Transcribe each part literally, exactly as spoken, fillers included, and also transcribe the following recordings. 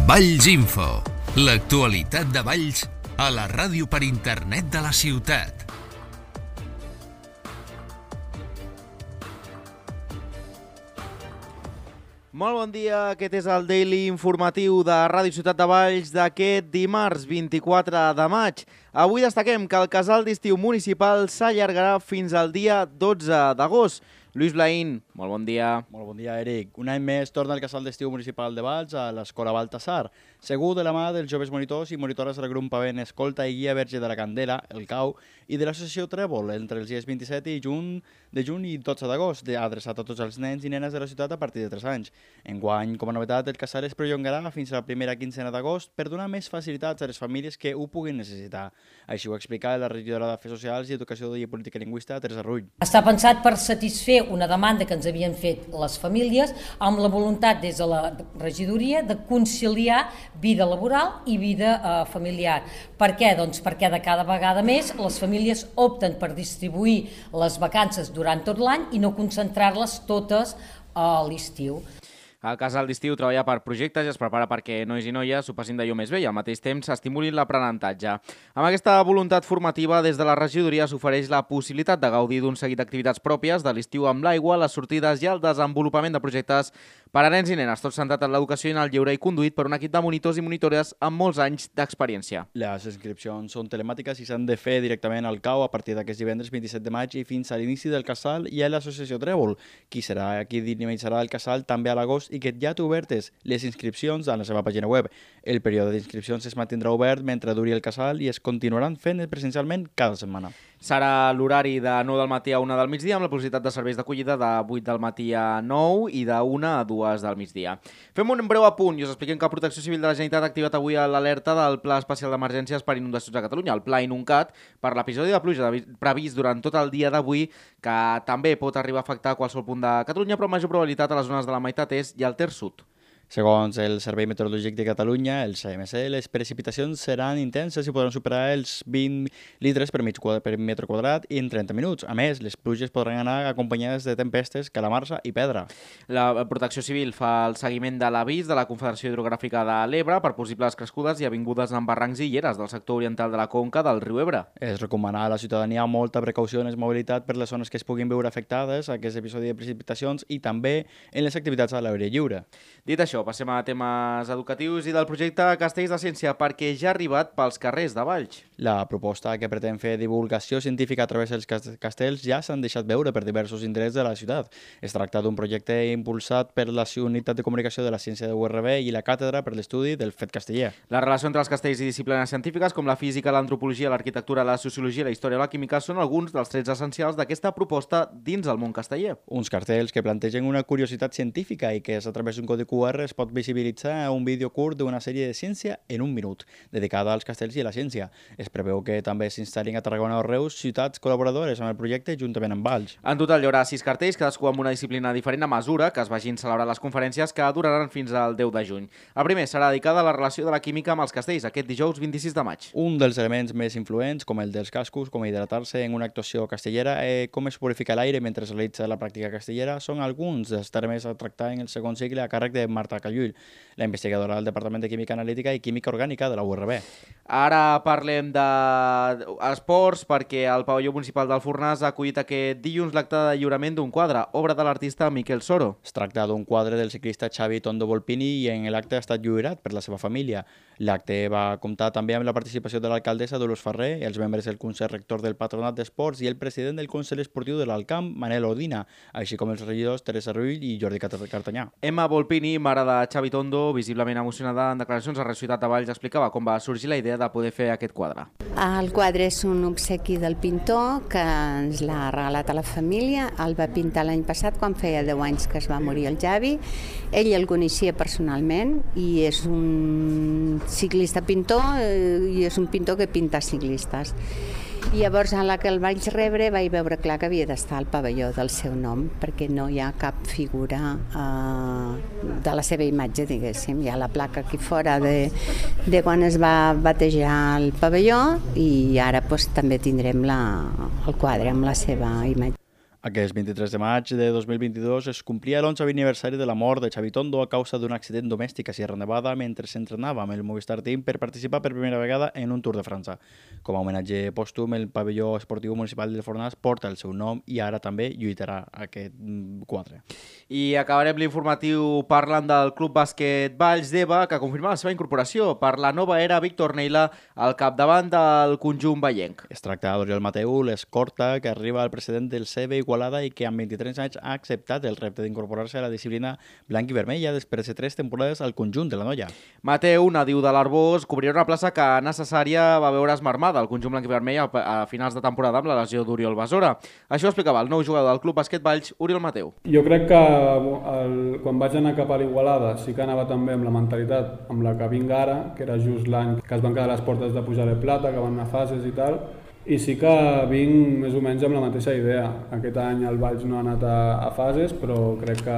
Valls Info, l'actualitat de Valls a la ràdio per internet de la ciutat. Molt bon dia, aquest és el Daily Informatiu de Ràdio Ciutat de Valls d'aquest dimarts vint-i-quatre de maig. Avui destaquem que el casal d'estiu municipal s'allargarà fins al dia dotze d'agost. Lluís Blaín, molt bon dia. Molt bon dia, Eric. Un any més torna el casal d'estiu municipal de Valls a l'Escola Baltasar. Segur de la mà dels joves monitors i monitores del grup Pavent Escolta i Guia Verge de la Candela, el C A U, i de l'associació Trèvol, entre els dies vint-i-set i juny, de juny i dotze d'agost, adreçat a tots els nens i nenes de la ciutat a partir de tres anys. Enguany, com a novetat, el casal es perllongarà fins a la primera quinzena d'agost per donar més facilitats a les famílies que ho puguin necessitar. Així ho explica la regidora d'Afers Socials i Educació i Política Lingüística, Teresa Rull. Està pensat per satisfer una demanda que ens havien fet les famílies amb la voluntat des de la regidoria de conciliar vida laboral i vida eh, familiar. Per què? Doncs perquè de cada vegada més les famílies opten per distribuir les vacances durant tot l'any i no concentrar-les totes a l'estiu. El casal d'estiu treballa per projectes i es prepara perquè nois i noies s'ho passin d'allò més bé i al mateix temps s'estimulin l'aprenentatge. Amb aquesta voluntat formativa, des de la regidoria s'ofereix la possibilitat de gaudir d'un seguit d'activitats pròpies de l'estiu amb l'aigua, les sortides i el desenvolupament de projectes per a nens i nenes, tot centrat en l'educació i en el lleure i conduït per un equip de monitors i monitores amb molts anys d'experiència. Les inscripcions són telemàtiques i s'han de fer directament al C A U a partir d'aquest divendres vint-i-set de maig i fins a l'inici del casal i a l'associació Trèvol, qui serà qui dinamitzarà el casal també a l'agost i que ja té obertes les inscripcions a la seva pàgina web. El període d'inscripcions es mantindrà obert mentre duri el casal i es continuaran fent presencialment cada setmana. Serà l'horari de nou del matí a una del migdia amb la possibilitat de serveis d'acollida de vuit del matí a nou i de una a dues del migdia. Fem un breu apunt i us expliquem que Protecció Civil de la Generalitat ha activat avui l'alerta del Pla Especial d'Emergències per Inundacions a Catalunya, el Pla Inuncat, per l'episodi de pluja previst durant tot el dia d'avui, que també pot arribar a afectar qualsevol punt de Catalunya, però amb major probabilitat a les zones de la meitat est i al terç sud. Segons el Servei Meteorològic de Catalunya, el C M C, les precipitacions seran intenses i podran superar els vint litres per, mig, per metre quadrat en trenta minuts. A més, les pluges podran anar acompanyades de tempestes, calamarsa i pedra. La Protecció Civil fa el seguiment de l'avís de la Confederació Hidrogràfica de l'Ebre per possibles crescudes i avingudes en barrancs i lleres del sector oriental de la conca del riu Ebre. Es recomana a la ciutadania molta precaució en la mobilitat per les zones que es puguin veure afectades a aquest episodi de precipitacions i també en les activitats a l'aire lliure. Dit això, passem a temes educatius i del projecte Castells de Ciència, perquè ja ha arribat pels carrers de Valls. La proposta que pretén fer divulgació científica a través dels castells ja s'han deixat veure per diversos indrets de la ciutat. Es tracta d'un projecte impulsat per la Unitat de Comunicació de la Ciència de U R B i la Càtedra per l'Estudi del Fet Casteller. La relació entre els castells i disciplines científiques com la física, l'antropologia, l'arquitectura, la sociologia, la història i la química són alguns dels trets essencials d'aquesta proposta dins el món casteller. Uns cartells que plantegen una curiositat científica i que és a través d'un codi Q R es pot visibilitzar un vídeo curt d'una sèrie de ciència en un minut, dedicada als castells i a la ciència. Es preveu que també s'instal·lin a Tarragona o Reus ciutats col·laboradores amb el projecte juntament amb Valls. En total hi haurà sis cartells, cadascú amb una disciplina diferent a mesura que es vagin celebrant les conferències que duraran fins al deu de juny. El primer serà dedicat a la relació de la química amb els castells, aquest dijous vint-i-sis de maig. Un dels elements més influents, com el dels cascos, com hidratar-se en una actuació castellera, eh, com es purifica l'aire mentre es realitza la pràctica castellera, són alguns dels termes a tractar en el segon cicle a càrrec de Marta Callul, la investigadora del Departament de Química Analítica i Química Orgànica de la U R B. Ara parlem d'esports perquè el pavelló municipal del Fornàs ha acollit aquest dilluns l'acte de lliurament d'un quadre, obra de l'artista Miquel Soro. Es tracta d'un quadre del ciclista Xavi Tondo Volpini i en l'acte ha estat lliurat per la seva família. L'acte va comptar també amb la participació de l'alcaldessa Dolors Ferrer, els membres del Consell Rector del Patronat d'Esports i el president del Consell Esportiu de l'Alcamp, Manel Odina, així com els regidors Teresa Rull i Jordi Cartanyà. Emma Volpini, mare de Xavi Tondo, visiblement emocionada en declaracions a Ràdio Ciutat de Valls, explicava com va sorgir la idea de poder fer aquest quadre. El quadre és un obsequi del pintor que ens l'ha regalat a la família. El va pintar l'any passat quan feia deu anys que es va morir el Xavi. Ell el coneixia personalment i és un ciclista pintor i és un pintor que pinta ciclistes. I llavors, a la que el vaig rebre, vaig veure clar que havia d'estar al pavelló del seu nom, perquè no hi ha cap figura eh, de la seva imatge, diguéssim. Hi ha la placa aquí fora de, de quan es va batejar el pavelló i ara pues, també tindrem la, el quadre amb la seva imatge. Aquest vint-i-tres de maig de dos mil vint-i-dos es complia l'onzè aniversari de la mort de Xavi Tondo a causa d'un accident domèstic a Sierra Nevada mentre s'entrenava amb el Movistar Team per participar per primera vegada en un Tour de França. Com a homenatge pòstum, el pavelló esportiu municipal del Fornàs porta el seu nom i ara també lluitarà aquest quatre. I acabarem l'informatiu parlant del Club Bàsquet Valls d'Eva, que confirma la seva incorporació per la nova era Víctor Neila al capdavant del conjunt vallenc. Es tracta d'Oriol Mateu, l'escorta que arriba al president del C B Igualada i que amb vint-i-tres anys ha acceptat el repte d'incorporar-se a la disciplina blanc i vermella després de tres temporades al conjunt de la noia. Mateu, nadiu de l'Arbós, cobrirà una plaça que necessària va veure esmarmada al conjunt blanc i vermell a finals de temporada amb la lesió d'Oriol Besora. Això ho explicava el nou jugador del Club Bàsquet Valls, Oriol Mateu. Jo crec que el, quan vaig anar cap a l'Igualada sí que anava també amb la mentalitat amb la que vinc ara, que era just l'any que es van quedar les portes de pujar de plata, que van anar a fases i tal, i sí que vinc més o menys amb la mateixa idea. Aquest any el Valls no ha anat a, a fases, però crec que,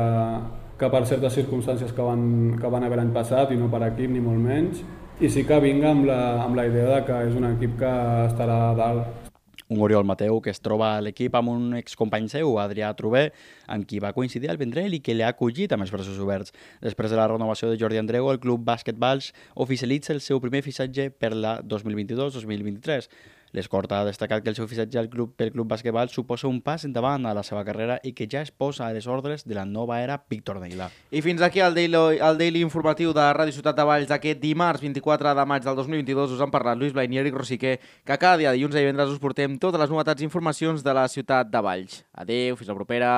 que per certes circumstàncies que van, que van haver l'any passat, i no per equip ni molt menys, i sí que vinc amb la, amb la idea de que és un equip que estarà a dalt. Un Oriol Mateu que es troba a l'equip amb un excompany seu, Adrià Trubé, amb qui va coincidir al Vendrell i que l'ha acollit amb els braços oberts. Després de la renovació de Jordi Andreu, el Club Bàsquet Valls oficialitza el seu primer fitxatge per la dos mil vint-i-dos dos mil vint-i-tres. L'escorta ha destacat que el seu fitxatge al club, pel Club Bàsquet Valls suposa un pas endavant a la seva carrera i que ja es posa a les ordres de la nova era Víctor Neila. I fins aquí el Daily, el Daily informatiu de Ràdio Ciutat de Valls d'aquest dimarts vint-i-quatre de maig del dos mil vint-i-dos. Us han parlat Lluís Blain i Eric Rosiquer, que cada dia dilluns i divendres us portem totes les novetats i informacions de la ciutat de Valls. Adéu, fins la propera.